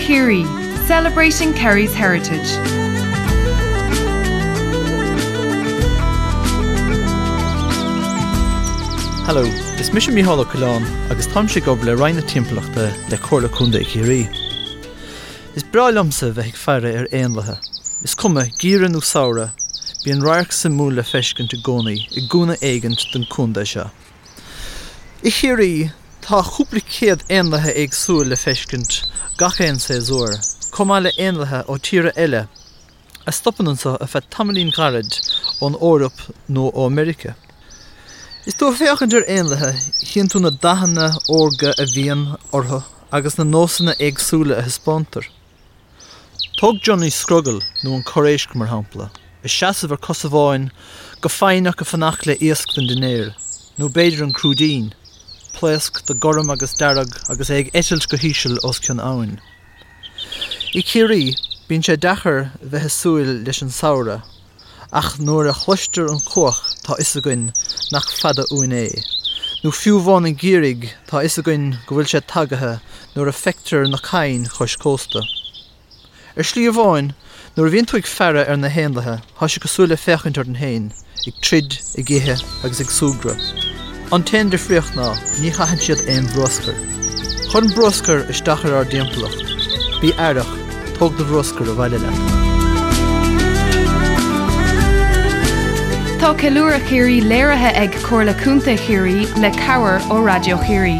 Chiarraí, celebrating Kerry's heritage. Hello, is mise Mícheál Ó Coileáin agus táimse ag obair le Roinn na Timpeallachta le Comhairle Contae Chiarraí. Is breá liomsa bheith ag faire ar éanlaithe. Is cuma, geimhreadh nó samhradh, bíonn radharc suimiúil le feiscint i gcónaí i gcúinne éigint den contae seo. I Chiarraí, tá cúpla céad éanlaithe éagsúil le feiscint gach aon séasúr, chomh maith le éanlaithe ó tíortha eile a stopann anseo ar feadh tamaillín ghairid ón Eoraip nó ó Meiriceá. Is tú ag féachaint ar éanlaithe, chíonn tú na dathanna órga a bhíonn orthu agus na nósanna éagsúla a thaispeántar. Tóg Johnny Scrogall nó an Corr Éisc mar shampla, ag seasamh ar cos amháin go foighneach ag fanacht le iasc don dinnéar, nó b'fhéidir an Crúidín, pléasc de gorm agus dearg agus é ag eitilt go híseal os cionn abhainn. I Ciarraí, bíonn sé deacair bheith ag súil leis an samhradh ach nuair a chloistear an cuach tá fhios againn nach fada uainn é. Nó fiú amháin an geimhridh tá fhios againn go bhfuil sé tagaithe nuair a feictear na cairn chois cósta. Ar shlí amháin, nuair a bhíonn tú ag faire ar na héanlaithe, tá sé cosúil le féachaint orainn féin, ag troid, ag ithe agus ag súgradh. An t-aon difríocht ná, ní chaitheann siad aon bhruascar. Cuireann bruascar isteach ar ár dtimpeallacht. Bí aireach, tóg do bhruascar abhaile leat. Tá Ceiliúradh Chiarraí léirithe ag Comhairle Contae Chiarraí le cabhair ó Raidió Chiarraí.